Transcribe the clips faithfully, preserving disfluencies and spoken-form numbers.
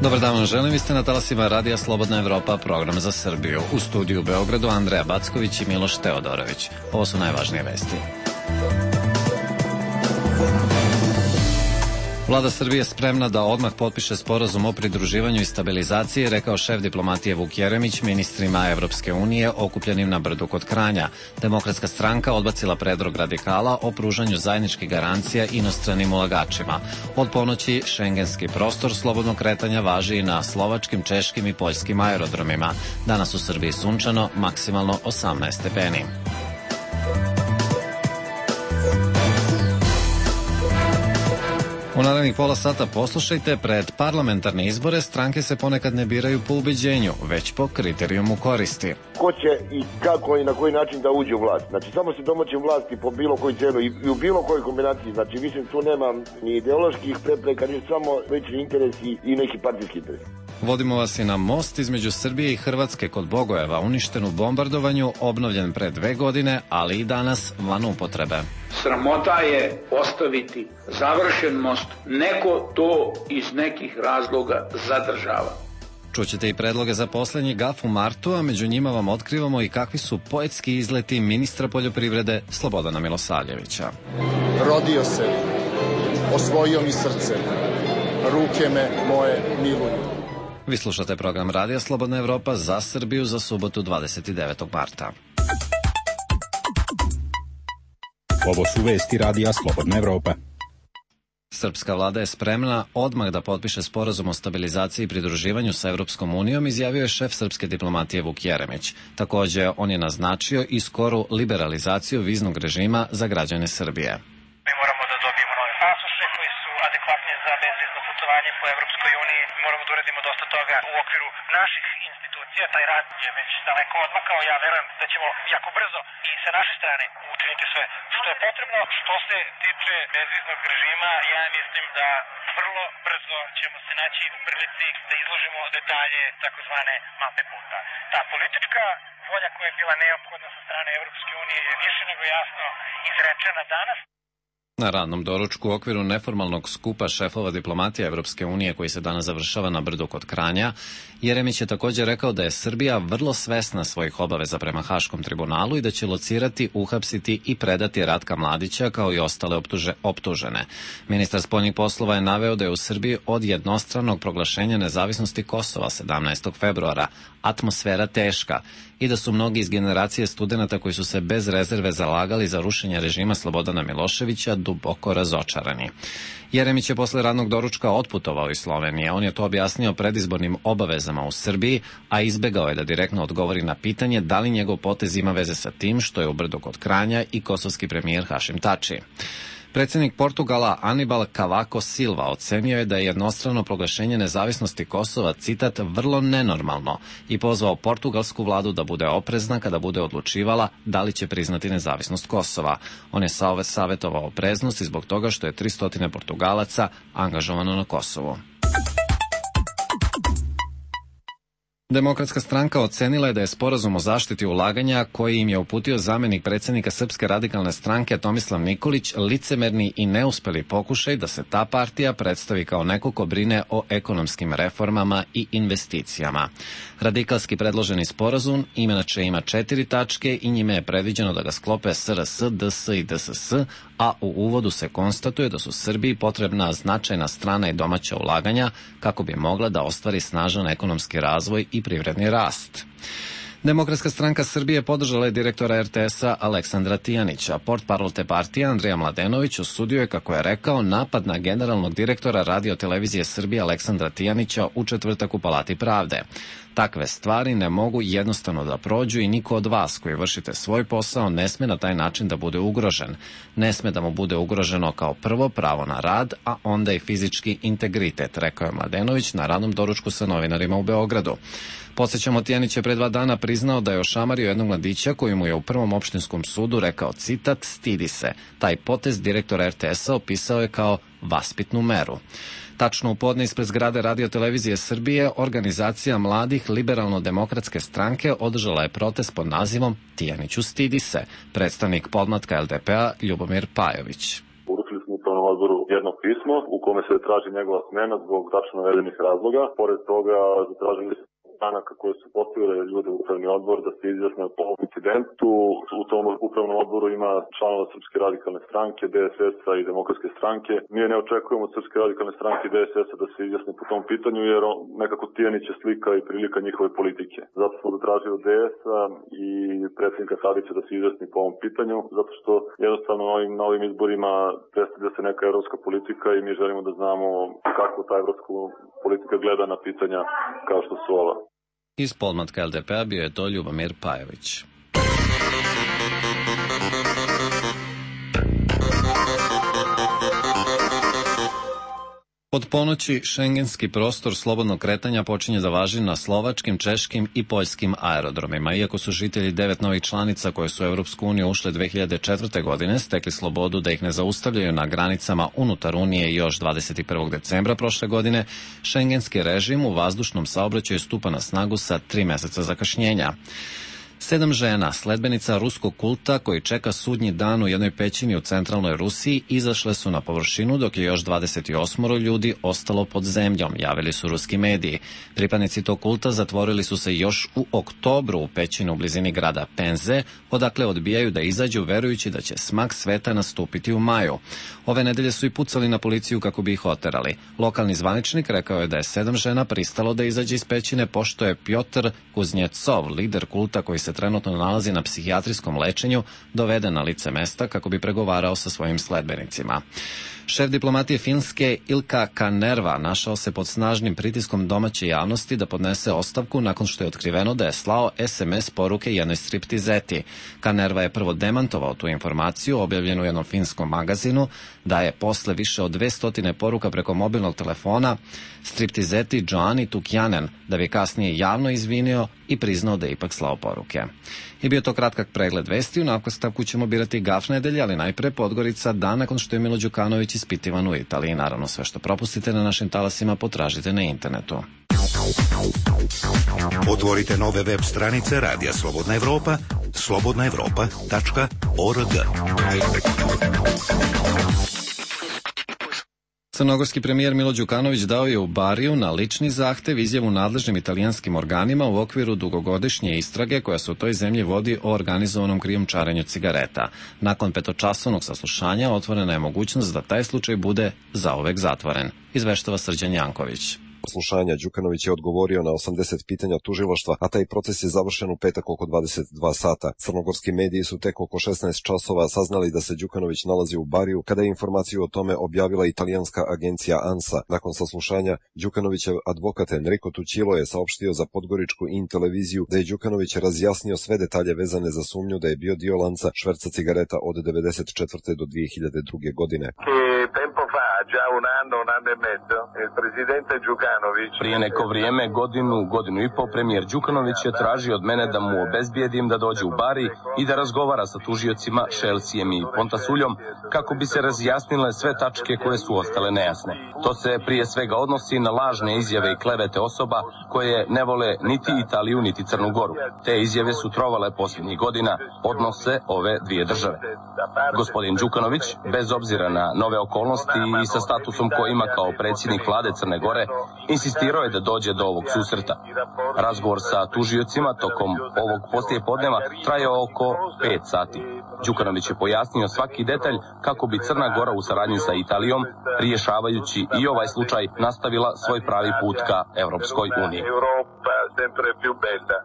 Dobar dan vam želim, vi ste na talasima Radija Slobodna Evropa, program za Srbiju. U studiju u Beogradu Andreja Backović i Miloš Teodorović. Ovo su najvažnije vesti. Vlada Srbije je spremna da odmah potpiše sporazum o pridruživanju i stabilizaciji, rekao šef diplomatije Vuk Jeremić ministrima Evropske unije okupljenim na Brdu kod Kranja. Demokratska stranka odbacila predlog radikala o pružanju zajedničkih garancija inostranim ulagačima. Od ponoći šengenski prostor slobodnog kretanja važi i na slovačkim, češkim i poljskim aerodromima. Danas u Srbiji sunčano, maksimalno osamnaest stepeni. U narednih pola sata poslušajte, pred parlamentarne izbore stranke se ponekad ne biraju po ubeđenju, već po kriterijumu koristi. Ko će i kako i na koji način da uđe u vlast. Znači, samo se domoći vlasti po bilo koju cenu i u bilo kojoj kombinaciji. Znači, mislim, tu nema ni ideoloških prepreka, ni samo lični interesi i neki partijski interes. Vodimo vas i na most između Srbije i Hrvatske kod Bogojeva, uništen u bombardovanju, obnovljen pre dve godine, ali i danas van upotrebe. Sramota je ostaviti završen most. Neko to iz nekih razloga zadržava. Čućete i predloge za poslednji gaf u martu, a među njima vam otkrivamo i kakvi su poetski izleti ministra poljoprivrede Slobodana Milosavljevića. Rodio se, osvojio mi srce, ruke me moje miluju. Vi slušate program Radija Slobodna Evropa za Srbiju za subotu dvadeset devetog marta. Ovo su vesti Radija Slobodna Evropa. Srpska vlada je spremna odmah da potpiše sporazum o stabilizaciji i pridruživanju sa Evropskom unijom, izjavio je šef srpske diplomatije Vuk Jeremić. Takođe, on je naznačio i skoru liberalizaciju viznog režima za građane Srbije. Mi moramo da dobijemo nove pasoše koji su adekvatni za bezvizno putovanje po Evropskoj uniji. Moramo da uradimo dosta toga u okviru naših institucija. Taj rad je već daleko odmakao. Ja verujem da ćemo jako brzo i sa naše strane učiniti sve što je potrebno. Što se tiče bezviznog režima, ja mislim da vrlo brzo ćemo se naći u prilici da izložimo detalje takozvane mape puta. Ta politička volja koja je bila neophodna sa strane Evropske unije je više nego jasno izrečena danas. Na radnom doručku u okviru neformalnog skupa šefova diplomatije Evropske unije koji se danas završava na Brdu kod Kranja, Jeremić je također rekao da je Srbija vrlo svesna svojih obaveza prema Haškom tribunalu i da će locirati, uhapsiti i predati Ratka Mladića kao i ostale optuže, optužene. Ministar spoljnih poslova je naveo da je u Srbiji od jednostranog proglašenja nezavisnosti Kosova sedamnaestog februara atmosfera teška i da su mnogi iz generacije studenata koji su se bez rezerve zalagali za rušenje režima Slobodana Miloševića duboko razočarani. Jeremić je posle radnog doručka otputovao iz Slovenije. On je to objasnio predizbornim obavezama u Srbiji, a izbegao je da direktno odgovori na pitanje da li njegov potez ima veze sa tim što je u Brdu kod Kranja i kosovski premijer Hašim Tači. Predsjednik Portugala Anibal Cavaco Silva ocenio je da je jednostrano proglašenje nezavisnosti Kosova, citat, vrlo nenormalno i pozvao portugalsku vladu da bude oprezna kada bude odlučivala da li će priznati nezavisnost Kosova. On je savjetovao opreznost i zbog toga što je tristo Portugalaca angažovano na Kosovu. Demokratska stranka ocenila je da je sporazum o zaštiti ulaganja koji im je uputio zamenik predsjednika Srpske radikalne stranke Tomislav Nikolić licemerni i neuspeli pokušaj da se ta partija predstavi kao neko ko brine o ekonomskim reformama i investicijama. Radikalski predloženi sporazum inače ima četiri tačke i njime je predviđeno da ga sklope S R S, D S i D S S, a u uvodu se konstatuje da su Srbiji potrebna značajna strana i domaća ulaganja kako bi mogla da ostvari snažan ekonomski razvoj i privredni rast. Demokratska stranka Srbije podržala je direktora R T S-a Aleksandra Tijanića. Portparol te partije Andrija Mladenović osudio je, kako je rekao, napad na generalnog direktora Radio-televizije Srbije Aleksandra Tijanića u četvrtak u Palati pravde. Takve stvari ne mogu jednostavno da prođu i niko od vas koji vršite svoj posao ne sme na taj način da bude ugrožen. Ne sme da mu bude ugroženo kao prvo pravo na rad, a onda i fizički integritet, rekao je Mladenović na radnom doručku sa novinarima u Beogradu. Podsjećamo, Tijanić je pre dva dana priznao da je ošamario jednog mladića koji mu je u prvom opštinskom sudu rekao, citat, stidi se. Taj potez direktor R T S-a opisao je kao vaspitnu meru. Tačno u podne ispred zgrade Radio-televizije Srbije, organizacija mladih liberalno-demokratske stranke održala je protest pod nazivom Tijaniću stidi se, predstavnik podmlatka L D P-a Ljubomir Pajović. Uručili smo upravnom odboru jedno pismo pismo u kome se traži njegova smena zbog tačno navedenih razloga. Pored toga zatražili stranaka koje su postavile ljude u upravni odbor da se izjasne po ovom incidentu. U tom upravnom odboru ima članova Srpske radikalne stranke, D S S-a i Demokratske stranke. Mi ne očekujemo od Srpske radikalne stranke i D S S-a da se izjasne po tom pitanju, jer nekako tijeniće slika i prilika njihove politike. Zato smo zatražili od D S-a i predsjednika Tadića da se izjasni po ovom pitanju, zato što jednostavno na ovim, na ovim izborima predstavlja se neka evropska politika i mi želimo da znamo kako ta evropska politika gleda na pitanja kao što su ova. Iz podmlatka L D P-a bio je to Ljubomir Pajović. Od ponoći šengenski prostor slobodnog kretanja počinje da važi na slovačkim, češkim i poljskim aerodromima. Iako su žitelji devet novih članica koje su u Evropsku uniju ušle dve hiljade četvrte. godine stekli slobodu da ih ne zaustavljaju na granicama unutar Unije još dvadeset prvog decembra prošle godine, šengenski režim u vazdušnom saobraćaju stupa na snagu sa tri meseca zakašnjenja. Sedam žena, sledbenica ruskog kulta koji čeka sudnji dan u jednoj pećini u centralnoj Rusiji, izašle su na površinu dok je još dvadeset osam ljudi ostalo pod zemljom, javili su ruski mediji. Pripadnici tog kulta zatvorili su se još u oktobru u pećinu u blizini grada Penze, odakle odbijaju da izađu verujući da će smak sveta nastupiti u maju. Ove nedelje su i pucali na policiju kako bi ih oterali. Lokalni zvaničnik rekao je da je sedam žena pristalo da izađe iz pećine pošto je Pjotr Kuznjecov, lider kulta koji se trenutno nalazi na psihijatrijskom lečenju, doveden na lice mesta kako bi pregovarao sa svojim sledbenicima. Šef diplomatije Finske Ilka Kanerva našao se pod snažnim pritiskom domaće javnosti da podnese ostavku nakon što je otkriveno da je slao es em es poruke jednoj striptizeti. Kanerva je prvo demantovao tu informaciju, objavljenu u jednom finskom magazinu, da je posle više od dvesta poruka preko mobilnog telefona striptizeti Joani Tukjanen, da bi kasnije javno izvinio i priznao da je ipak slao poruke. I bio to kratkak pregled vesti, u nastavku ćemo birati gaf nedelje, ali najpre Podgorica dan nakon što je Milo Đukanović ispitivan u Italiji. Naravno, sve što propustite na našim talasima potražite na internetu. Otvorite nove web stranice Radija Slobodna Evropa, slobodna evropa tačka org. Crnogorski premijer Milo Đukanović dao je u Bariju na lični zahtev izjavu nadležnim italijanskim organima u okviru dugogodišnje istrage koja se u toj zemlji vodi o organizovanom krijumčarenju cigareta. Nakon petočasovnog saslušanja otvorena je mogućnost da taj slučaj bude zauvek zatvoren, izveštava Srđan Janković. Slušanja Đukanović je odgovorio na osamdeset pitanja tužilaštva, a taj proces je završen u petak oko dvadeset dva sata. Crnogorski mediji su tek oko šesnaest časova saznali da se Đukanović nalazi u Bariju, kada je informaciju o tome objavila italijanska agencija ANSA. Nakon saslušanja, Đukanovićev advokat Enrico Tucilo je saopštio za Podgoričku in televiziju da je Đukanović razjasnio sve detalje vezane za sumnju da je bio dio lanca šverca cigareta od devedeset četvrte do dve hiljade druge. godine. Prije neko vrijeme, godinu, godinu i pol, premijer Đukanović je tražio od mene da mu obezbijedim da dođe u Bari i da razgovara sa tužiocima Šelsijem i Pontasuljom kako bi se razjasnile sve tačke koje su ostale nejasne. To se prije svega odnosi na lažne izjave i klevete osoba koje ne vole niti Italiju niti Crnu Goru. Te izjave su trovale posljednjih godina odnose ove dvije države. Gospodin Đukanović, bez obzira na nove okolnosti i sa statusom koji ima kao predsjednik vlade Crne Gore, insistirao je da dođe do ovog susreta. Razgovor sa tužiocima tokom ovog poslijepodneva trajao oko pet sati. Đukanović je pojasnio svaki detalj kako bi Crna Gora u saradnji sa Italijom, rješavajući i ovaj slučaj, nastavila svoj pravi put ka Evropskoj uniji.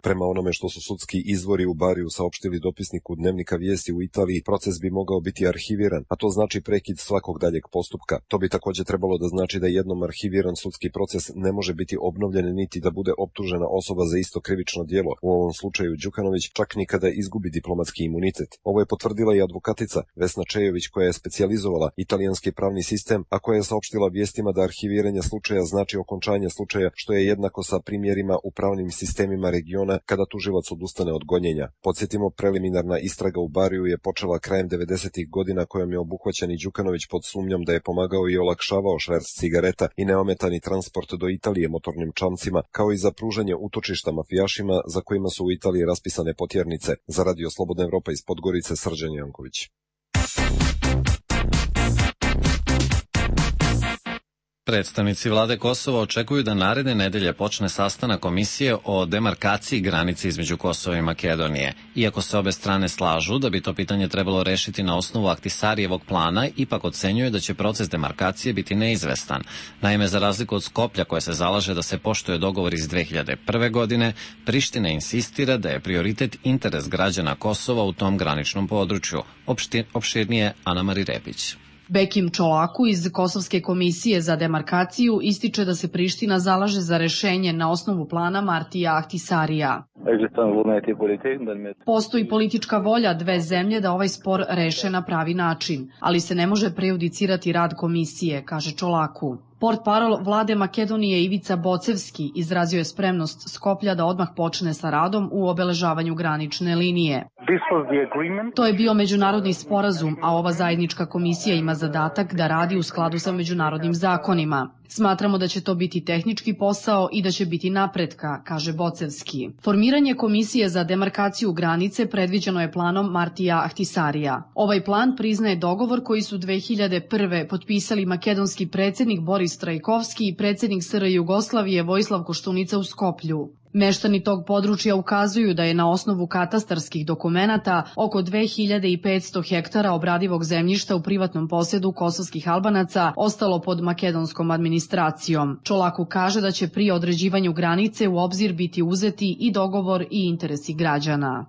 Prema onome što su sudski izvori u Bariju saopštili dopisniku Dnevnika vijesti u Italiji, proces bi mogao biti arhiviran, a to znači prekid svakog daljeg postupka. To bi također trebalo da znači da jednom arhiviran sudski proces ne može biti obnovljen niti da bude optužena osoba za isto krivično djelo, u ovom slučaju Đukanović, čak ni kada izgubi diplomatski imunitet. Ovo je potvrdila i advokatica Vesna Čejović, koja je specijalizovala italijanski pravni sistem, a koja je saopštila vijestima da arhiviranje slučaja znači okončanje slučaja, što je jednako sa primjerima u pravnim sistemima regiona kada tužilac odustane od gonjenja. Podsjetimo, preliminarna istraga u Bariju je počela krajem devedesetih godina, kojom je obuhvaćen i Đukanović pod sumnjom da je pomagao i olakšavao šverc cigareta i neometani transport do Italije motornim čamcima, kao i za pružanje utočišta mafijašima za kojima su u Italiji raspisane potjernice. Za Radio Slobodna Evropa iz Podgorice, Srđan Janković. Predstavnici vlade Kosova očekuju da naredne nedelje počne sastanak komisije o demarkaciji granice između Kosova i Makedonije. Iako se obe strane slažu da bi to pitanje trebalo rešiti na osnovu Ahtisarijevog plana, ipak ocenjuje da će proces demarkacije biti neizvestan. Naime, za razliku od Skoplja koje se zalaže da se poštuje dogovor iz dve hiljade prve godine, Priština insistira da je prioritet interes građana Kosova u tom graničnom području. Opšti, opširnije Ana Mari Repić. Bekim Čolaku iz Kosovske komisije za demarkaciju ističe da se Priština zalaže za rešenje na osnovu plana Martija Ahtisarija. Postoji politička volja dve zemlje da ovaj spor reše na pravi način, ali se ne može prejudicirati rad komisije, kaže Čolaku. Portparol vlade Makedonije Ivica Bocevski izrazio je spremnost Skoplja da odmah počne sa radom u obeležavanju granične linije. To je bio međunarodni sporazum, a ova zajednička komisija ima zadatak da radi u skladu sa međunarodnim zakonima. Smatramo da će to biti tehnički posao i da će biti napretka, kaže Bocevski. Formiranje komisije za demarkaciju granice predviđeno je planom Martija Ahtisarija. Ovaj plan priznaje dogovor koji su dve hiljade prve potpisali makedonski predsjednik Boris Trajkovski i predsjednik S R Jugoslavije Vojislav Koštunica u Skoplju. Meštani tog područja ukazuju da je na osnovu katastarskih dokumenata oko dve hiljade petsto hektara obradivog zemljišta u privatnom posjedu kosovskih Albanaca ostalo pod makedonskom administracijom. Čolaku kaže da će pri određivanju granice u obzir biti uzeti i dogovor i interesi građana.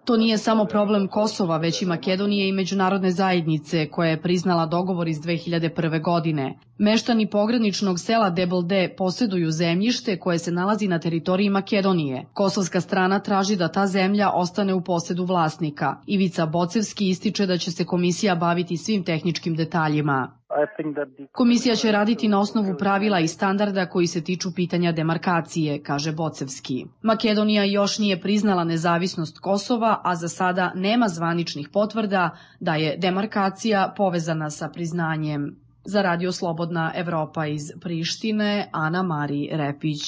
To nije samo problem Kosova, već i Makedonije i međunarodne zajednice koja je priznala dogovor iz dve hiljade prve godine. Meštani pograničnog sela Debelde posjeduju zemljište koje se nalazi na teritoriji Makedonije. Kosovska strana traži da ta zemlja ostane u posjedu vlasnika. Ivica Bocevski ističe da će se komisija baviti svim tehničkim detaljima. Komisija će raditi na osnovu pravila i standarda koji se tiču pitanja demarkacije, kaže Bocevski. Makedonija još nije priznala nezavisnost Kosova, a za sada nema zvaničnih potvrda da je demarkacija povezana sa priznanjem. Za Radio Slobodna Evropa iz Prištine, Ana Mari Repić.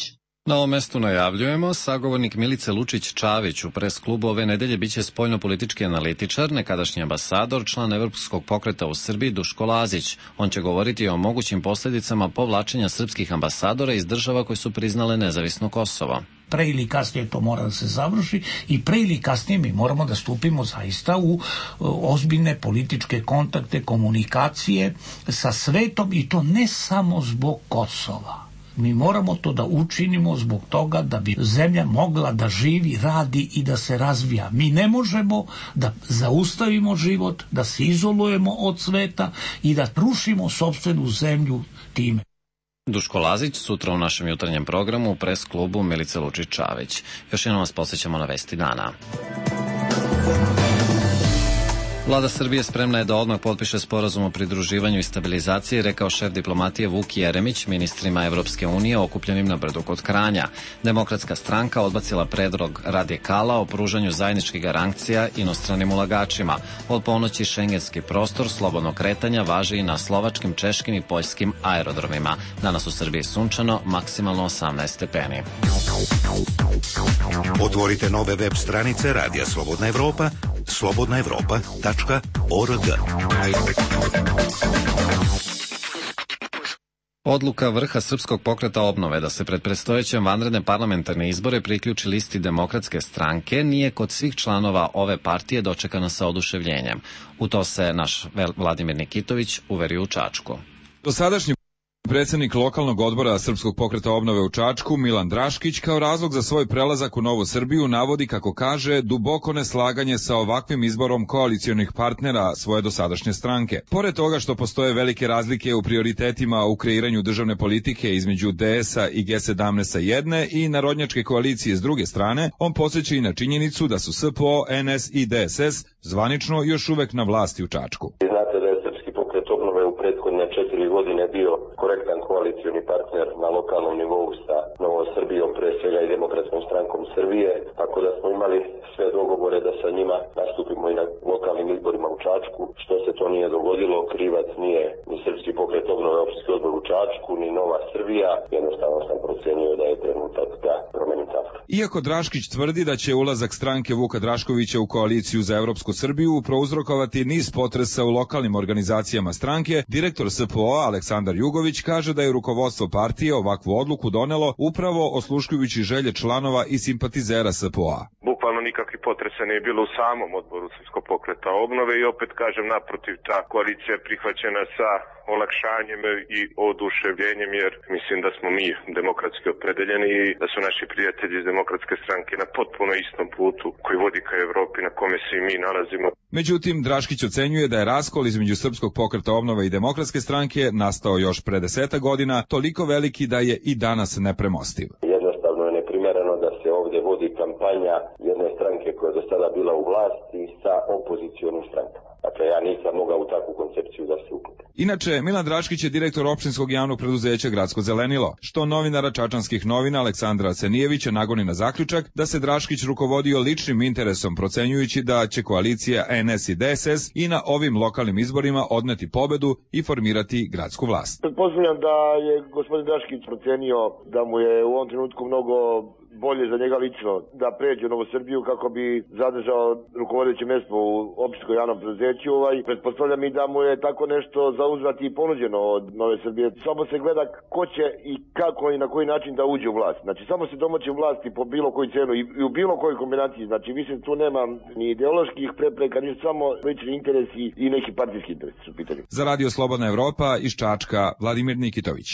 Na ovom mestu najavljujemo, sagovornik Milice Lučić-Čavić u pres klubu ove nedelje biće spoljnopolitički analitičar, nekadašnji ambasador, član Evropskog pokreta u Srbiji Duško Lazić. On će govoriti o mogućim posljedicama povlačenja srpskih ambasadora iz država koje su priznale nezavisno Kosovo. Pre ili kasnije to mora da se završi i pre ili kasnije mi moramo da stupimo zaista u ozbiljne političke kontakte, komunikacije sa svetom i to ne samo zbog Kosova. Mi moramo to da učinimo zbog toga da bi zemlja mogla da živi, radi i da se razvija. Mi ne možemo da zaustavimo život, da se izolujemo od sveta i da rušimo sopstvenu zemlju time. Duško Lazić sutra u našem jutarnjem programu u pres klubu Milice Lučić-Čavić. Još jednom vas podsjećamo na vesti dana. Vlada Srbije spremna je da odmah potpiše sporazum o pridruživanju i stabilizaciji, rekao šef diplomatije Vuk Jeremić ministrima Evropske unije okupljenim na Brdu kod Kranja. Demokratska stranka odbacila predlog radikala o pružanju zajedničkih garancija inostranim ulagačima. Od ponoći šengenski prostor slobodnog kretanja važi i na slovačkim, češkim i poljskim aerodromima. Danas u Srbiji sunčano, maksimalno osamnaest stepeni. Otvorite nove web stranice Radija Slobodna Evropa, slobodna evropa tačka org. Odluka vrha Srpskog pokreta obnove da se pred predstojećem vanredne parlamentarne izbore priključi listi Demokratske stranke nije kod svih članova ove partije dočekana sa oduševljenjem. U to se naš Vladimir Nikitović uverio u Čačku. Dosadašnji predsjednik lokalnog odbora Srpskog pokreta obnove u Čačku, Milan Draškić, kao razlog za svoj prelazak u Novu Srbiju navodi, kako kaže, duboko neslaganje sa ovakvim izborom koalicionih partnera svoje dosadašnje stranke. Pored toga što postoje velike razlike u prioritetima u kreiranju državne politike između D S-a i G sedamnaest sa jedne i narodnjačke koalicije s druge strane, on podsjeća i na činjenicu da su S P O, N S i D S S zvanično još uvek na vlasti u Čačku. Znate da je Srpski pokret obnove u prethodne četiri godine bio korektan koalicioni partner na lokalnom nivou sa Novom Srbijom, pre svega i Demokratskom strankom strankom Srbije, tako da smo imali sve dogovore da sa njima nastupimo i na lokalnim izborima u Čačku. Što se to nije dogodilo, krivac nije ni Srpski pokret obnove, opštinski odbor u Čačku, ni Nova Srbija. Jednostavno sam procenio da je trenutak da promenim stav. Iako Draškić tvrdi da će ulazak stranke Vuka Draškovića u koaliciju za Evropsku Srbiju prouzrokovati niz potresa u lokalnim organizacijama stranke, direktor S P O Aleksandar Jugović kaže da je rukovodstvo partije ovakvu odluku donelo upravo osluškujući želje članova i simpatizera S P O-a. Bukvalno nikakvih potresa nije bilo u samom odboru Srpskog pokreta obnove i opet kažem naprotiv, ta koalicija je prihvaćena sa olakšanjem i oduševljenjem, jer mislim da smo mi demokratski opredeljeni i da su naši prijatelji iz Demokratske stranke na potpuno istom putu koji vodi ka Evropi na kome se i mi nalazimo. Međutim, Draškić ocenjuje da je raskol između Srpskog pokreta obnove i Demokratske stranke nastao još pre deseta godina, toliko veliki da je i danas nepremostiv. Jednostavno je neprimereno da se ovdje vodi kampanja jedne stranke koja je do sada bila u vlasti sa opozicionim strankama. Dakle, ja nisam mogao u takvu koncepciju da se uključim. Inače, Milan Draškić je direktor opštinskog javnog preduzeća Gradsko zelenilo, što novinara Čačanskih novina Aleksandra Cenijevića nagoni na zaključak da se Draškić rukovodio ličnim interesom, procenjujući da će koalicija N S i D S S i na ovim lokalnim izborima odneti pobedu i formirati gradsku vlast. Pretpostavljam da je gospodin Draškić procenio da mu je u ovom trenutku mnogo bolje za njega lično da pređe u Novu Srbiju kako bi zadržao rukovodeće mjesto u opštinskom javnom preduzeću. Ovaj, pretpostavljam i da mu je tako nešto za uzvrat i ponuđeno od Nove Srbije. Samo se gleda ko će i kako i na koji način da uđe u vlast. Znači samo se domoći u vlasti po bilo koju cenu i, i u bilo kojoj kombinaciji. Znači mislim tu nema ni ideoloških prepreka, ni samo lični interesi i neki partijski interesi su pitanje. Za Radio Slobodna Evropa iz Čačka Vladimir Nikitović.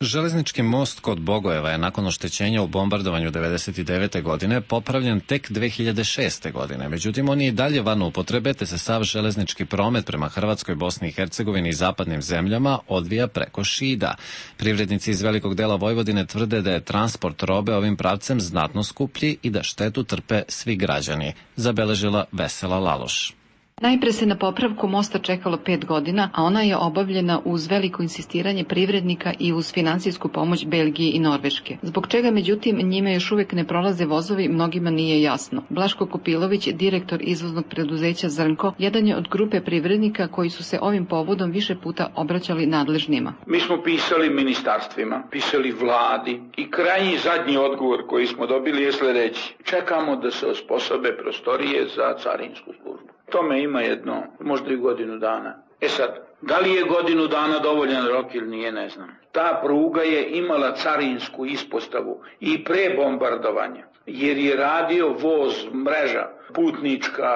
Železnički most kod Bogojeva je nakon oštećenja u bombardovanju devedeset devete. godine popravljen tek dve hiljade šeste. godine. Međutim, on je i dalje van upotrebe, te se sav železnički promet prema Hrvatskoj, Bosni i Hercegovini i zapadnim zemljama odvija preko Šida. Privrednici iz velikog dela Vojvodine tvrde da je transport robe ovim pravcem znatno skuplji i da štetu trpe svi građani, zabeležila Vesela Laloš. Najpre se na popravku mosta čekalo pet godina, a ona je obavljena uz veliko insistiranje privrednika i uz finansijsku pomoć Belgije i Norveške. Zbog čega, međutim, njime još uvijek ne prolaze vozovi, mnogima nije jasno. Blaško Kopilović, direktor izvoznog preduzeća Zrnko, jedan je od grupe privrednika koji su se ovim povodom više puta obraćali nadležnima. Mi smo pisali ministarstvima, pisali vladi i krajnji zadnji odgovor koji smo dobili je sljedeći. Čekamo da se osposobe prostorije za carinsku službu. Tome ima jedno, možda i godinu dana. E sad, da li je godinu dana dovoljan rok ili nije, ne znam. Ta pruga je imala carinsku ispostavu i pre bombardovanja, jer je radio voz, mreža, putnička,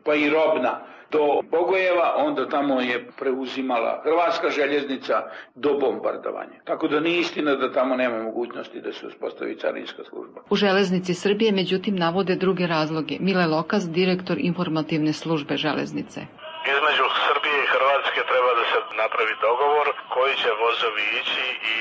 pa i robna, do Bogojeva, onda tamo je preuzimala Hrvatska željeznica do bombardovanja. Tako da nije istina da tamo nema mogućnosti da se uspostavi carinska služba. U Železnici Srbije, međutim, navode druge razloge. Mile Lokas, direktor informativne službe železnice. Između Srbije i Hrvatske treba da se napravi dogovor koji će vozovi ići i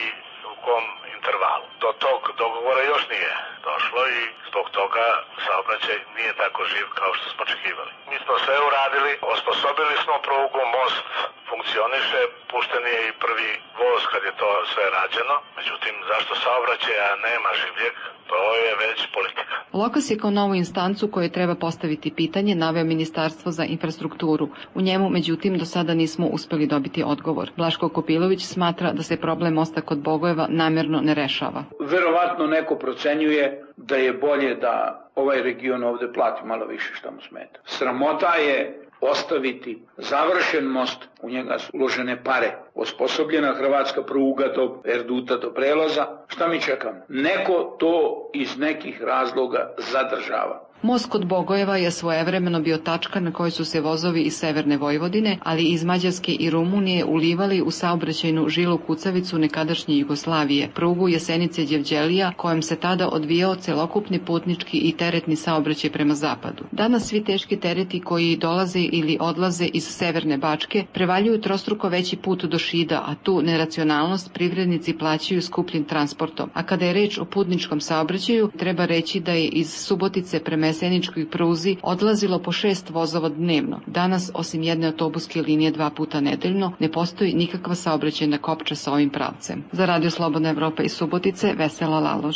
u kom intervalu. Do tog dogovora još nije došlo i zbog toga saobraćaj nije tako živ kao što smo očekivali. Mi smo sve uradili, osposobili smo prugu, most funkcioniše, pušten je i prvi voz kad je to sve rađeno. Međutim, zašto saobraćaja nema življeg, to je već politika. Lokas je kao novu instancu koje treba postaviti pitanje naveo Ministarstvo za infrastrukturu. U njemu, međutim, do sada nismo uspeli dobiti odgovor. Blaško Kopilović smatra da se problem mosta kod Bogojeva namjerno ne rešava. Verovatno neko procenjuje da je bolje da ovaj region ovde plati malo više što mu smeta. Sramota je ostaviti završen most, u njega su uložene pare, osposobljena hrvatska pruga do Erduta, do prelaza. Šta mi čekamo? Neko to iz nekih razloga zadržava. Most kod Bogojeva je svojevremeno bio tačka na kojoj su se vozovi iz severne Vojvodine, ali iz Mađarske i Rumunije ulivali u saobraćajnu žilu kucavicu nekadašnje Jugoslavije, prugu Jesenice-Đevđelija, kojom se tada odvijao celokupni putnički i teretni saobraćaj prema zapadu. Danas svi teški tereti koji dolaze ili odlaze iz severne Bačke prevaljuju trostruko veći put do Šida, a tu neracionalnost privrednici plaćaju skupljim transportom. A kada je reč o putničkom saobraćaju, treba reći da je iz Subotice prema jeseničkoj pruzi odlazilo po šest vozova dnevno. Danas, osim jedne autobuske linije dva puta nedeljno, ne postoji nikakva saobraćajna kopča sa ovim pravcem. Za Radio Slobodna Evropa iz Subotice, Vesela Laloš.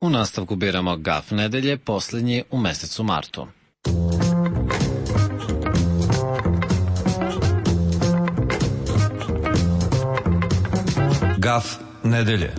U nastavku biramo Gaf nedelje, posljednji u mesecu martu. Gaf nedelje.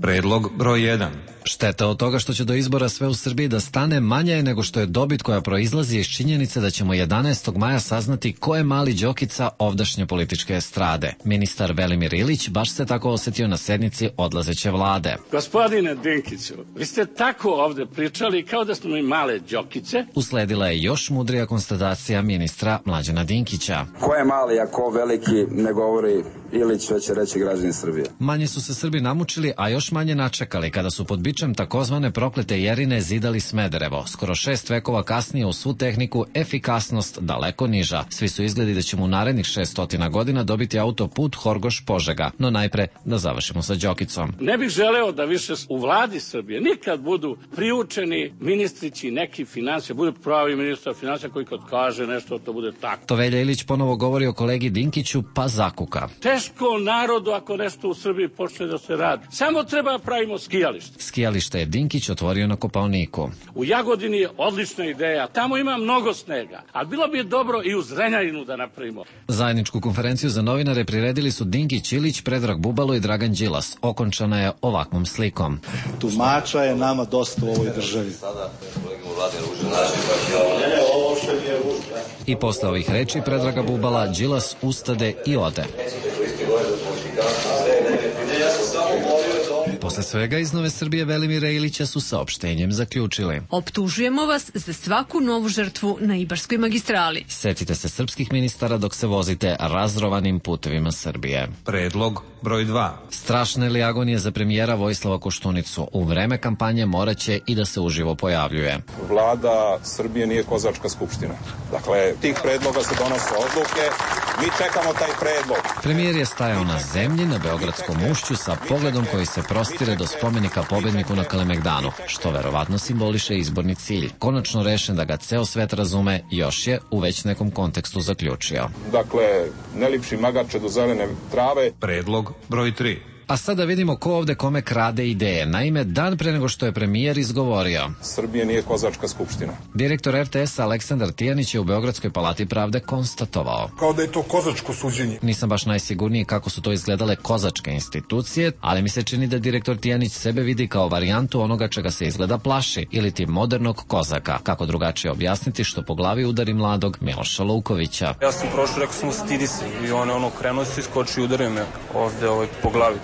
Predlog broj jedan. Šteta od toga što će do izbora sve u Srbiji da stane manja je nego što je dobit koja proizlazi iz činjenice da ćemo jedanaestog maja saznati ko je mali Đokica ovdašnje političke estrade. Ministar Velimir Ilić baš se tako osetio na sednici odlazeće vlade. Gospodine Dinkiću, vi ste tako ovde pričali kao da smo mi male Đokice. Usledila je još mudrija konstatacija ministra Mlađana Dinkića. Ko je mali, a ko veliki, ne govori Ilić, već će reći građani Srbije. Manje su se Srbi namučili, a još manje načekali kada su pod bičem takozvane proklete Jerine zidali Smederevo. Skoro šest vekova kasnije u svu tehniku efikasnost daleko niža. Svi su izgledi da ćemo u narednih šeststotina godina dobiti autoput Horgoš-Požega. No najpre da završimo sa Đokicom. Ne bih želeo da više u vladi Srbije nikad budu priučeni ministrići neki financija, bude pravi ministar financija koji kad kaže nešto to bude tako. To Velja Ilić ponovo govori o kolegi Dinkiću pa zakuka. Teško narodu ako nešto u Srbiji počne da se radi. Samo treba pravimo skijalište. Skijalište je Dinkić otvorio na Kopaoniku. U Jagodini je odlična ideja. Tamo ima mnogo snega. Ali bilo bi dobro i u Zrenjaninu da napravimo. Zajedničku konferenciju za novinare priredili su Dinkić, Ilić, Predrag Bubalo i Dragan Đilas. Okončana je ovakvom slikom. Tumača je nama dosta u ovoj državi. I posle ovih reči Predraga Bubala, Đilas ustade i ode. Posle svega iz Nove Srbije Velimira Ilića su saopštenjem zaključili. Optužujemo vas za svaku novu žrtvu na Ibarskoj magistrali. Setite se srpskih ministara dok se vozite razrovanim putevima Srbije. Predlog broj dva. Strašne li agonije za premijera Vojislava Koštunicu? U vreme kampanje moraće i da se uživo pojavljuje. Vlada Srbije nije kozačka skupština. Dakle, tih predloga se donose odluke. Mi čekamo taj predlog. Premijer je stajao na zemlji na Beogradskom ušću sa pogledom koji se prostire do spomenika pobedniku na Kalemegdanu, što verovatno simboliše izborni cilj. Konačno rešen da ga ceo svet razume, još je u već nekom kontekstu zaključio. Dakle, ne lipši magarče do zelene trave. Predlog broj tri. A sada vidimo ko ovde kome krade ideje. Naime, dan pre nego što je premijer izgovorio. Srbije nije kozačka skupština. Direktor er te esa Aleksandar Tijanić je u Beogradskoj palati pravde konstatovao. Kao da je to kozačko suđenje. Nisam baš najsigurniji kako su to izgledale kozačke institucije, ali mi se čini da direktor Tijanić sebe vidi kao varijantu onoga čega se izgleda plaši, ili ti modernog kozaka. Kako drugačije objasniti što po glavi udari mladog Miloša Lukovića. Ja sam prošao, rekao sam stidi se i on ono krenuo se, iskoči i udario me ovde ovaj, po glavi.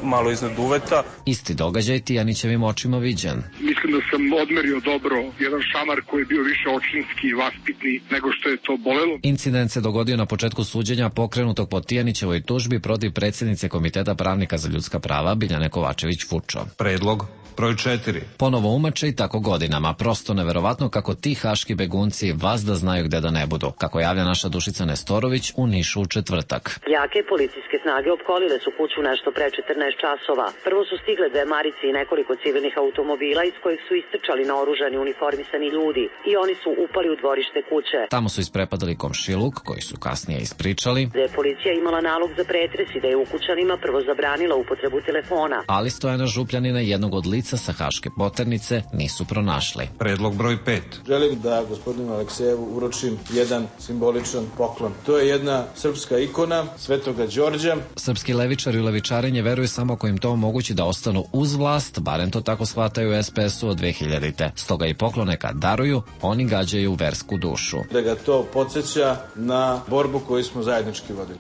Malo iznad uveta. Isti događaj Tijanićevim očima viđen. Mislim da sam odmerio dobro jedan šamar koji je bio više očinski i vaspitni nego što je to bolelo. Incident se dogodio na početku suđenja pokrenutog po Tijanićevoj tužbi protiv predsjednice Komiteta pravnika za ljudska prava Biljane Kovačević-Fučo. Predlog broj četiri. Ponovo umače i tako godinama. Prosto neverovatno kako ti haški begunci vazda znaju gde da ne budu. Kako javlja naša Dušica Nestorović u Nišu u četvrtak. Jake policijske snage opkolile su kuću nešto pre četrnaest časova. Prvo su stigle dve marice i nekoliko civilnih automobila iz kojih su istrčali naoružani uniformisani ljudi i oni su upali u dvorište kuće. Tamo su isprepadali komšiluk koji su kasnije ispričali. Da je policija imala nalog za pretres i da je ukućanima prvo zabranila upotrebu telefona. Ali Stojana Župljanina, jednog od lica sa haške poternice, nisu pronašli. Predlog broj pet. Želim da gospodinu Aleksejevu uručim jedan simboličan poklon. To je jedna srpska ikona Svetoga Đorđa. Srpski levičari u levičarenje veruju samo ako im to omogući da ostanu uz vlast, barem to tako shvataju u es pe esu od dve hiljadite. Stoga i poklone kad daruju, oni gađaju versku dušu. Da ga to podsjeća na borbu koju smo zajednički vodili.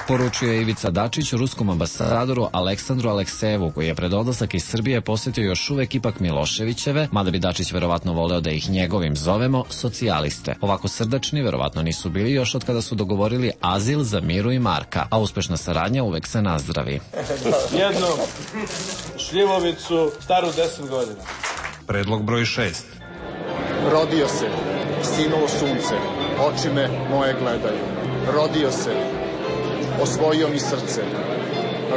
Poručuje Ivica Dačić ruskom ambasadoru Aleksandru Aleksejevu, koji je pred odlazak iz Srbije posjetio još uvek ipak Miloševićeve, mada bi Dačić verovatno voleo da ih njegovim zovemo socijaliste. Ovako srdačni verovatno nisu bili još od kada su dogovorili azil za Miru i Marka, a uspešna saradnja uvek se nazdravi. Jednu šljivovicu staru deset godina. Predlog broj šest. Rodio se Sinulo sunce, oči me moje gledaju. Rodio se, osvojio mi srce,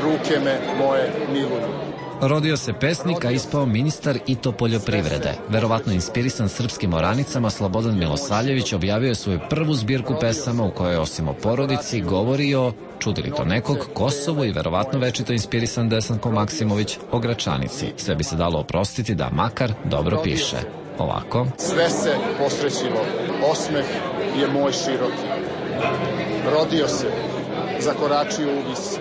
ruke me moje miluju. Rodio se pesnik, a ispao ministar i to poljoprivrede. Verovatno inspirisan srpskim oranicama, Slobodan Milosavljević objavio je svoju prvu zbirku pesama u kojoj osim o porodici govori o, čudi li to nekog, Kosovu i verovatno večito inspirisan Desanko Maksimović o Gračanici. Sve bi se dalo oprostiti da makar dobro piše. Ovako. Sve se posrećilo, osmeh je moj široki. Rodio se, zakoračio u vis,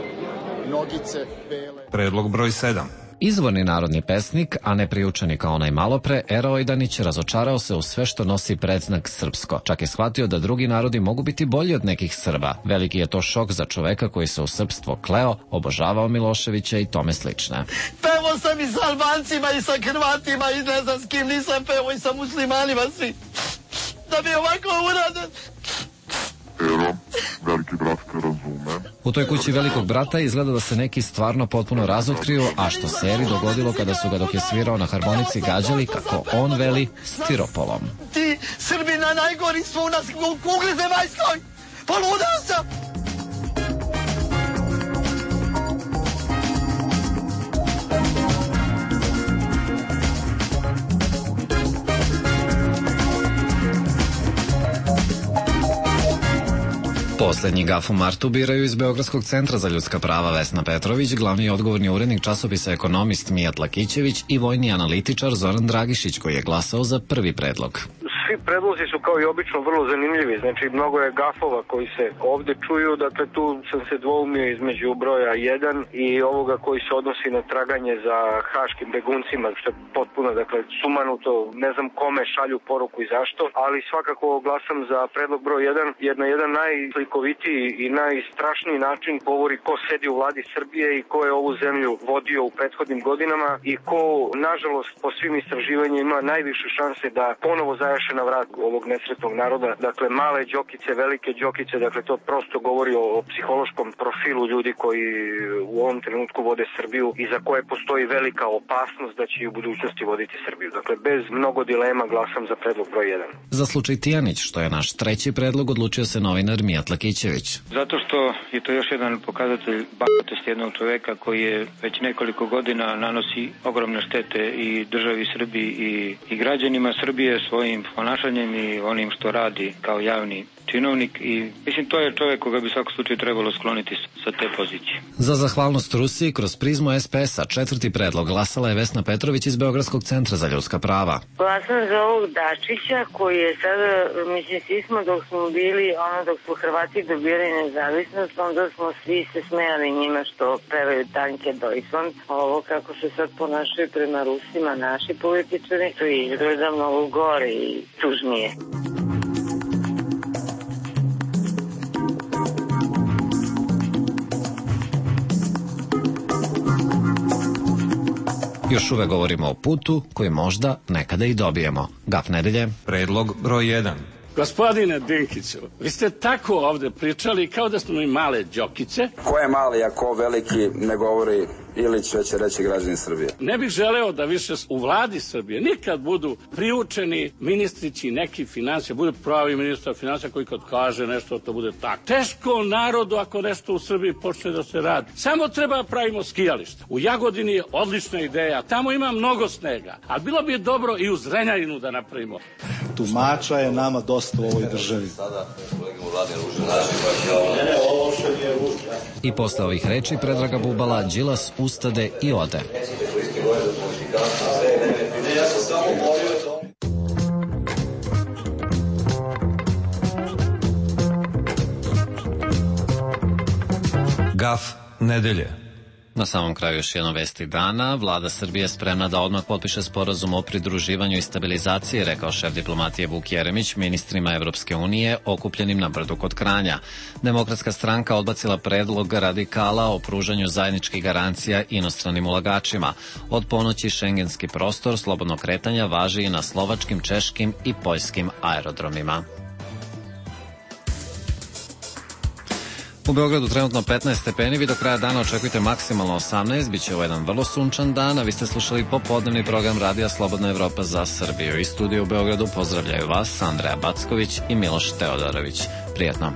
nogice bele. Predlog broj sedam. Izvorni narodni pesnik, a ne priučeni kao onaj malopre, Era Ojdanić razočarao se u sve što nosi predznak srpsko. Čak je shvatio da drugi narodi mogu biti bolji od nekih Srba. Veliki je to šok za čoveka koji se u srpstvo kleo, obožavao Miloševića i tome slične. Pevo sam i sa Albancima i sa Hrvatima i ne znam s kim nisam pevo i sa muslimanima svi. Da bi ovako uradan. Ero, veliki brat te razume. U toj kući velikog brata izgleda da se neki stvarno potpuno razotkriju, a što se Eri dogodilo kada su ga dok je svirao na harmonici gađali, kako on veli, stiropolom. Ti Srbina najgori su u nas u kugli zemaljskoj. Poludao sam. Poslednji gaf u martu biraju iz Beogradskog centra za ljudska prava Vesna Petrović, glavni odgovorni urednik časopisa Ekonomist Mijat Lakićević i vojni analitičar Zoran Dragišić, koji je glasao za prvi predlog. Svi predlozi su kao i obično vrlo zanimljivi, znači mnogo je gafova koji se ovde čuju, dakle tu sam se dvoumio između broja jedan i ovoga koji se odnosi na traganje za haškim beguncima, što je potpuno, dakle, sumanuto, ne znam kome šalju poruku i zašto, ali svakako glasam za predlog broj jedan, jer na jedan najslikovitiji i najstrašniji način govori ko sedi u vladi Srbije i ko je ovu zemlju vodio u prethodnim godinama i ko, nažalost, po svim istraživanjima ima najviše šanse da ponovo zajaše na vrat ovog nesretnog naroda. Dakle, male đokice, velike đokice, dakle to prosto govori o, o psihološkom profilu ljudi koji u ovom trenutku vode Srbiju i za koje postoji velika opasnost da će i u budućnosti voditi Srbiju. Dakle, bez mnogo dilema glasam za predlog broj jedan. Za slučaj Tijanić, što je naš treći predlog, odlučio se novinar Mijat Lakićević. Zato što je to još jedan pokazatelj bahatosti jednog čoveka koji je već nekoliko godina nanosi ogromne štete i državi Srbiji i, i građanima Srbije svojim ponašanjem i onim što radi kao javni činovnik i mislim to je čovjek koga bi u svakom slučaju trebalo skloniti sa te pozicije. Za zahvalnost Rusiji kroz prizmu es pe es a četvrti predlog glasala je Vesna Petrović iz Beogradskog centra za ljudska prava. Glasam za ovog Dačića koji je sada, mislim, svi smo dok smo bili, ono dok smo Hrvati dobili nezavisnost, onda smo svi se smejali njima što pevaju Tanke Dojson. Ovo kako se sad ponašaju prema Rusima naši političari, to izgleda mnogo gore i tužnije. Još uvek govorimo o putu koji možda nekada i dobijemo. Gaf nedelje. Predlog broj jedan. Gospodine Dinkiću, vi ste tako ovde pričali kao da smo mi male đokice. Ko je mali, a ko veliki, ne govori Ilić, već će reći građani Srbije. Ne bih želeo da više u vladi Srbije nikad budu priučeni ministrići neki financija, bude pravi ministar financija koji kad kaže nešto to bude tako. Teško narodu ako nešto u Srbiji počne da se radi. Samo treba pravimo skijalište. U Jagodini je odlična ideja, tamo ima mnogo snega, ali bilo bi dobro i u Zrenjaninu da napravimo. Tumača je nama dosta u ovoj državi. I posle ovih reči Predraga Bubala, Đilas ustade i ode. Gaf nedelje. Na samom kraju još jedno vesti dana. Vlada Srbije spremna da odmah potpiše sporazum o pridruživanju i stabilizaciji, rekao šef diplomatije Vuk Jeremić ministrima Evropske unije okupljenim na Brdu kod Kranja. Demokratska stranka odbacila predlog radikala o pružanju zajedničkih garancija inostranim ulagačima. Od ponoći šengenski prostor slobodnog kretanja važi i na slovačkim, češkim i poljskim aerodromima. U Beogradu trenutno petnaest stepeni, vi do kraja dana očekujte maksimalno osamnaest, bit će ovo jedan vrlo sunčan dan, a vi ste slušali popodnevni program Radija Slobodna Evropa za Srbiju. Iz studija u Beogradu pozdravljaju vas Andreja Backović i Miloš Teodorović. Prijetno.